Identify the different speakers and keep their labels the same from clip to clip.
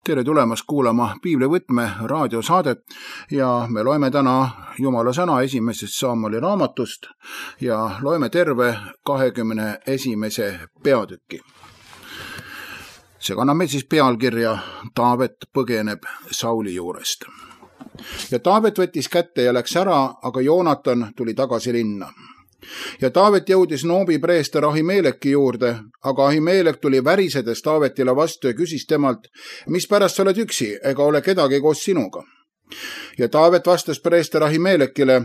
Speaker 1: Tere tulemast kuulama Piiblivõtme raadiosaadet ja me loeme täna Jumala sõna esimesest Saamoli raamatust ja loeme terve 21. peatüki. See kannab meil siis pealkirja Taavet põgeneb Sauli juurest. Ja Taavet võttis kätte ja läks ära, aga Joonatan tuli tagasi linna. Ja Taavet jõudis Noobi preester Ahimeleki juurde, aga Ahimelek tuli värisedes Taavetile vastu ja küsis temalt, mispärast sa oled üksi, ega ole kedagi koos sinuga. Ja Taavet vastas preester Ahimelekile,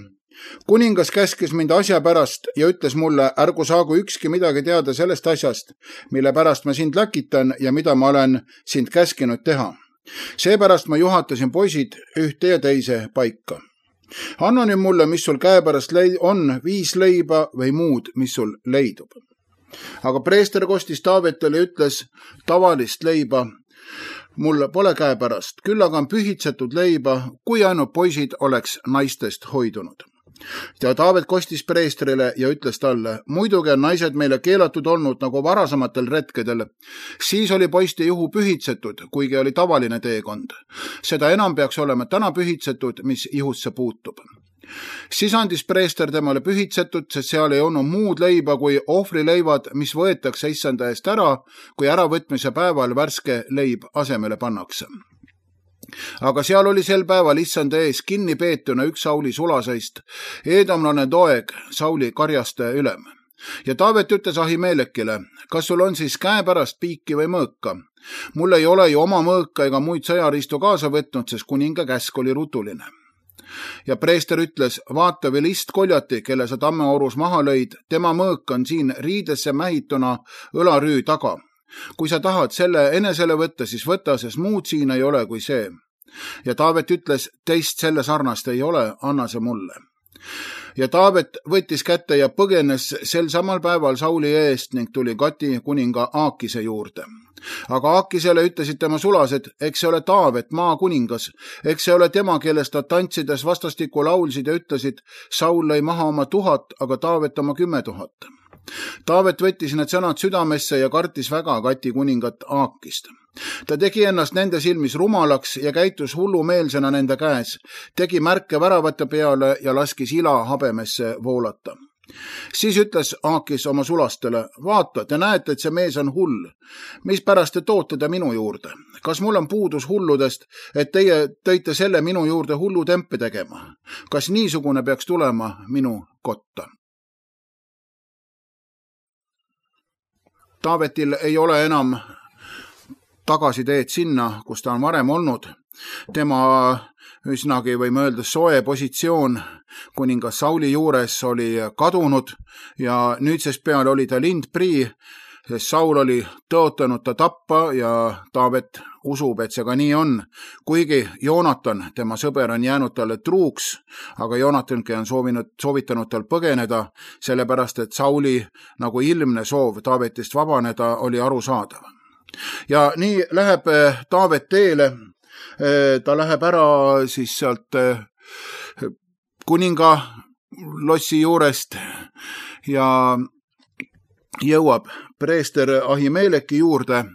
Speaker 1: kuningas käskis mind asja pärast ja ütles mulle, ärgu saagu ükski midagi teada sellest asjast, mille pärast ma sind läkitan ja mida ma olen sind käskinud teha. Seepärast ma juhatasin poisid ühte ja teise paika. Anna nüüd mulle, mis sul käepärast on, 5 leiba või muud, mis sul leidub. Aga preester kostis Taavetile ja ütles, tavalist leiba mul pole käepärast, küll aga on pühitsetud leiba, kui ainult poisid oleks naistest hoidunud. Ja Taavet kostis preestrile ja ütles talle, muidugi on naised meile keelatud olnud nagu varasematel retkedel. Siis oli poiste juhu pühitsetud, kuigi oli tavaline teekond. Seda enam peaks olema täna pühitsetud, mis ihusse puutub. Siis andis preester temale pühitsetud, sest seal ei olnud muud leiba kui ohvrileivad, mis võetakse issanda eest ära, kui äravõtmise päeval värske leib asemele pannakse. Aga seal oli sel päeval issanda ees kinni peetuna üks Sauli sulaseist, eedomlane Doeg, Sauli karjaste ülem. Ja Taavet ütles Ahimelekile, kas sul on siis käepärast piiki või mõõka? Mul ei ole ju oma mõõka ega muid sõjariistu kaasa võtnud, sest kuninga käsk oli rutuline. Ja preester ütles, vaata või listkoljati, kelle sa tammeorus maha lõid, tema mõõk on siin riidesse mähituna õlarüü taga. Kui sa tahad selle enesele võtta, siis võta, sest muud siin ei ole kui see. Ja Taavet ütles, teist selle sarnast ei ole, anna see mulle. Ja Taavet võttis kätte ja põgenes sel samal päeval Sauli eest ning tuli Gati kuninga Aakise juurde. Aga Aakisele ütlesid tema sulased, eks see ole Taavet, maa kuningas, eks see ole tema, kellest nad tantsides vastastikku laulsid ja ütlesid, Saul lõi maha oma 1000, aga Taavet oma 10 000. Taavet võttis need sõnad südamesse ja kartis väga Gati kuningat Aakist. Ta tegi ennast nende silmis rumalaks ja käitus hullumeelsena nende käes, tegi märke väravate peale ja laskis ila habemesse voolata. Siis ütles Aakis oma sulastele, vaata, te näete, et see mees on hull. Mispärast te toote ta minu juurde? Kas mul on puudus hulludest, et teie tõite selle minu juurde hullutempe tegema? Kas niisugune peaks tulema minu kotta? Taavetil ei ole enam tagasiteed sinna, kus ta on varem olnud. Tema üsnagi võime öelda soe positsioon kuningas Sauli juures oli kadunud ja nüüdsest peale oli ta lindprii, sest Saul oli tõotanud ta tappa ja Taavet usub, et see ka nii on. Kuigi Joonatan, tema sõber, on jäänud talle truuks, aga Joonatanki on soovitanud tal põgeneda, sellepärast et Sauli nagu ilmne soov Taavetist vabaneda oli arusaadav. Ja nii läheb Taavet teele, ta läheb ära siis sealt kuninga lossi juurest ja jõuab preester Ahimeleki juurde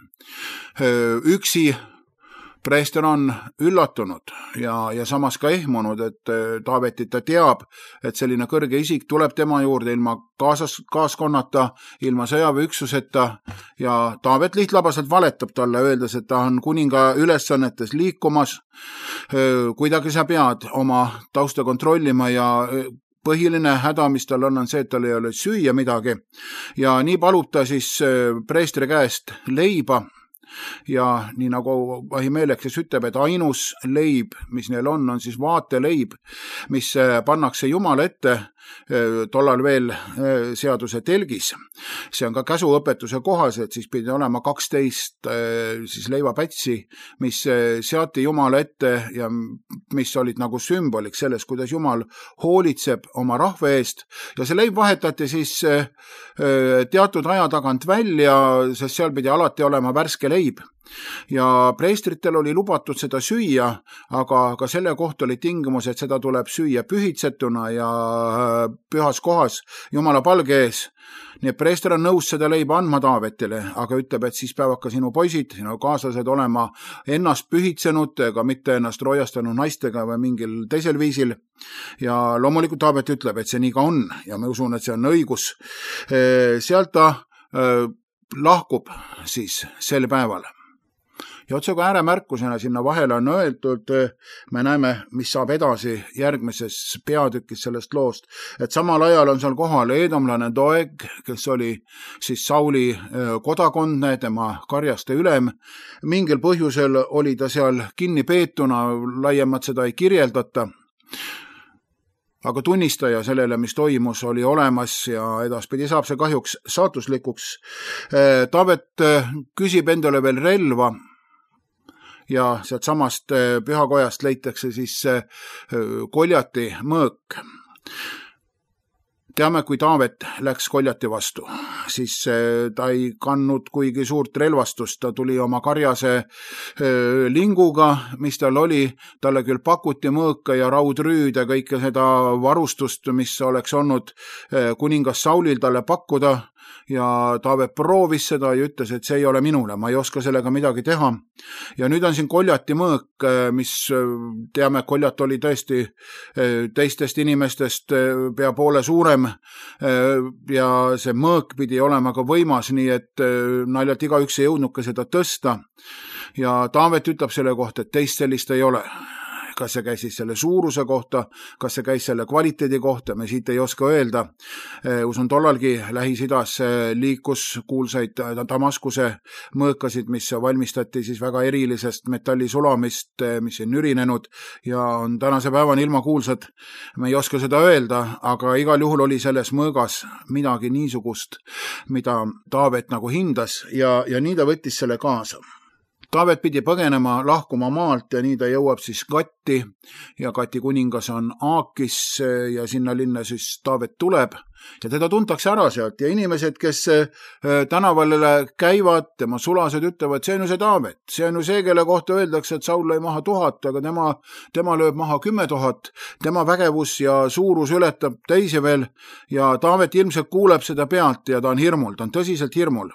Speaker 1: üksi. Preester on üllatunud ja samas ka ehmunud, et Taavetit ta teab, et selline kõrge isik tuleb tema juurde ilma kaaskonnata, ilma sõjaväeüksuseta ja Taavet lihtlabaselt valetab talle, öeldes, et ta on kuninga ülesannetes liikumas. Kuidagi sa pead oma tausta kontrollima ja põhiline häda, mis tal on see, et tal ei ole süüa midagi ja nii palub ta siis preestri käest leiba. Ja nii nagu Ahimelek siis ütleb, et ainus leib, mis neil on siis vaateleib, mis pannakse Jumala ette tollal veel seaduse telgis. See on ka käsuõpetuse kohas, et siis pidi olema 12 siis leivapätsi, mis seati Jumala ette ja mis olid nagu sümboliks sellest, kuidas Jumal hoolitseb oma rahva eest ja see leib vahetati siis teatud aja tagant välja, sest seal pidi alati olema värske leib. ja preestritel oli lubatud seda süüa, aga selle kohta oli tingimus, et seda tuleb süüa pühitsetuna ja pühas kohas Jumala palge ees. Nii et preester on nõus seda leiba andma Taavetile, aga ütleb, et siis peavad ka sinu poisid, sinu kaaslased olema ennast pühitsenud, ega mitte ennast roojastanud naistega või mingil teisel viisil. Ja loomulikult Taavet ütleb, et see nii ka on ja ma usun, et see on õigus. Sealt ta lahkub siis sel päeval. Ja otsaga ääremärkusena sinna vahele on öeldud, me näeme, mis saab edasi järgmises peatükis sellest loost, et samal ajal on seal kohal eedomlane Doeg, kes oli siis Sauli kodakondne, tema karjaste ülem. Mingil põhjusel oli ta seal kinni peetuna, laiemalt seda ei kirjeldata. Aga tunnistaja sellele, mis toimus, oli olemas ja edaspidi saab see kahjuks saatuslikuks. Taavet küsib endale veel relva ja sealt samast pühakojast leitakse siis Koljati mõõk. Teame, kui Taavet läks Koljati vastu, siis ta ei kandnud kuigi suurt relvastust, ta tuli oma karjase linguga, mis tal oli, talle küll pakuti mõõka ja raudrüüd ja kõike seda varustust, mis oleks olnud kuningas Saulil talle pakkuda, ja Taavet proovis seda ja ütles, et see ei ole minule, ma ei oska sellega midagi teha. Ja nüüd on siin Koljati mõõk, mis teame, Koljat oli tõesti teistest inimestest pea poole suurem ja see mõõk pidi olema ka võimas, nii et naljalt igaüks ei jõudnud ka seda tõsta. Ja Taavet ütleb selle kohta, et teist sellist ei ole. Kas see käis siis selle suuruse kohta, kas see käis selle kvaliteedi kohta, me siit ei oska öelda. Usun tollalgi Lähis-Idas liikus kuulsaid Damaskuse mõõkasid, mis valmistati siis väga erilisest metallisulamist, mis on nürinenud ja on tänase päevani ilma kuulsad. Me ei oska seda öelda, aga igal juhul oli selles mõõgas midagi niisugust, mida Taavet nagu hindas ja nii ta võttis selle kaasa. Taavet pidi põgenema, lahkuma maalt ja nii ta jõuab siis Gatti ja Gati kuningas on Aakis ja sinna linna siis Taavet tuleb ja teda tuntakse ära sealt ja inimesed, kes tänaval käivad, tema sulased ütlevad, see on ju see Taavet, see on ju see, kelle kohta öeldakse, et Saul lõi maha 1000, aga tema lööb maha 10 000, tema vägevus ja suurus ületab teisi veel ja Taavet ilmselt kuuleb seda pealt ja ta on hirmul, ta on tõsiselt hirmul.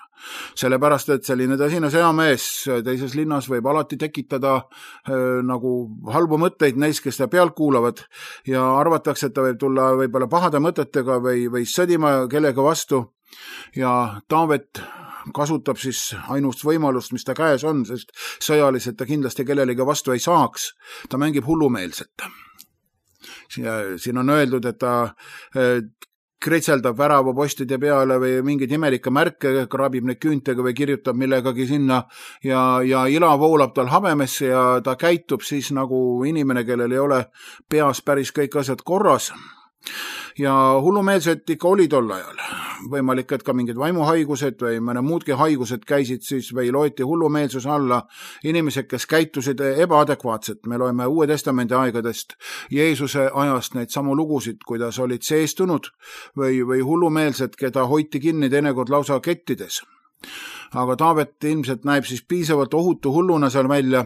Speaker 1: Sellepärast, et selline tõsine sõjamees teises linnas võib alati tekitada nagu halbu mõtteid neis, kes ta pealt kuulavad ja arvatakse, et ta võib tulla võib-olla pahade mõtetega või sõdima kellega vastu ja Taavet kasutab siis ainust võimalust, mis ta käes on, sest sõjaliselt ta kindlasti kellelegi vastu ei saaks. Ta mängib hullumeelset. Siin on öeldud, et ta kritseldab väravapostide peale või mingeid imelikke märke, kraabib neid küüntega või kirjutab millegagi sinna ja ila voolab tal habemesse ja ta käitub siis nagu inimene, kellel ei ole peas päris kõik asjad korras. Ja hullumeelsed ikka oli tol ajal. Võimalik, et ka mingid vaimuhaigused või mõne muudki haigused käisid siis või loeti hullumeelsuse alla inimesed, kes käitusid ebaadekvaatselt. Me loeme Uue Testamendi aegadest Jeesuse ajast neid samu lugusid, kuidas olid seestunud või hullumeelsed, keda hoiti kinni teinekord lausa kettides. Aga Taavet ilmselt näeb siis piisavalt ohutu hulluna seal välja.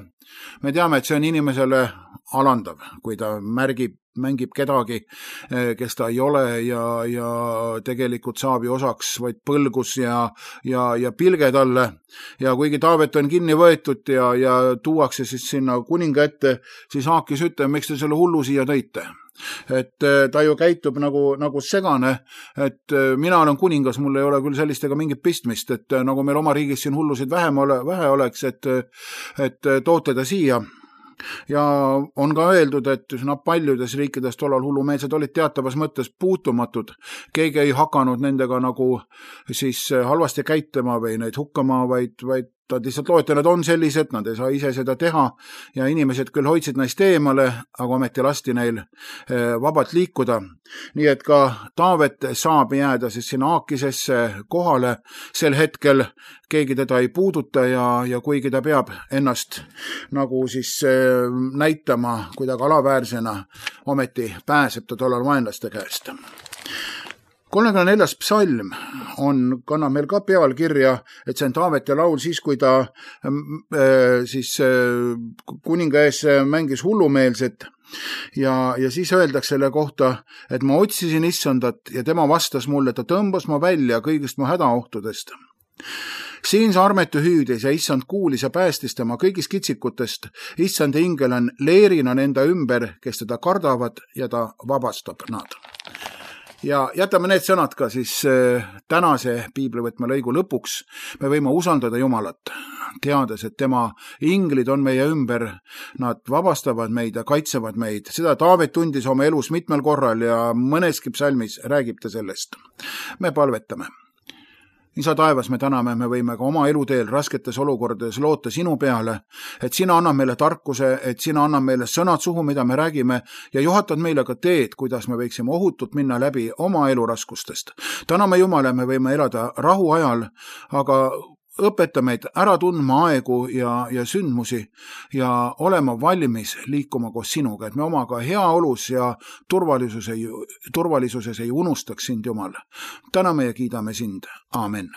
Speaker 1: Me teame, et see on inimesele alandav, kui ta mängib kedagi, kes ta ei ole ja tegelikult saab ju osaks vaid põlgus ja pilge talle. Ja kuigi Taavet on kinni võetud ja tuuakse siis sinna kuninga ette, siis Aakis ütleb, miks te selle hullu siia tõite. Et ta ju käitub nagu segane, et mina olen kuningas, mul ei ole küll sellistega mingit pistmist, et nagu meil oma riigis siin hullusid vähe oleks, et toote ta siia. Ja on ka öeldud, et paljudes riikides tollal hullumeelsed olid teatavas mõttes puutumatud. Keegi ei hakanud nendega nagu siis halvasti käitama või neid hukkama, vaid nad lihtsalt loeti, nad on sellised, nad ei saa ise seda teha ja inimesed küll hoidsid neist eemale, aga ometi lasti neil vabalt liikuda. Nii et ka Taavet saab jääda siis sinna Aakisesse kohale sel hetkel, keegi teda ei puuduta ja kuigi ta peab ennast nagu siis näitama kuidagi alaväärsena, ometi pääseb ta tollal vaenlaste käest. 34. psalm kannab meil ka pealkirja, et see on Taaveti laul siis, kui ta kuninga ees mängis hullumeelset ja siis öeldakse selle kohta, et ma otsisin issandat ja tema vastas mulle, ta tõmbas ma välja kõigist mu hädaohtudest. Siin see armetu hüüdis ja issand kuulis ja päästis tema kõigist kitsikutest. Issand ingel on leerina nende ümber, kes teda kardavad ja ta vabastab nad. Ja jätame need sõnad ka siis tänase piiblivõtme lõigu lõpuks. Me võime usaldada Jumalat, teades, et tema inglid on meie ümber, nad vabastavad meid ja kaitsevad meid. Seda Taavet tundis oma elus mitmel korral ja mõneski psalmis räägib ta sellest. Me palvetame. Isa taevas, me täname, me võime ka oma eluteel rasketes olukordades loota sinu peale, et sina annab meile tarkuse, et sina annab meile sõnad suhu, mida me räägime ja juhatad meile ka teed, kuidas me võiksime ohutult minna läbi oma eluraskustest. Täname Jumala, me võime elada rahu ajal, aga õpeta meid ära tundma aegu ja sündmusi ja olema valmis liikuma koos sinuga, et me omaga heaolus ja turvalisuses ei unustaks sind, Jumal. Täname ja kiidame sind. Aamen.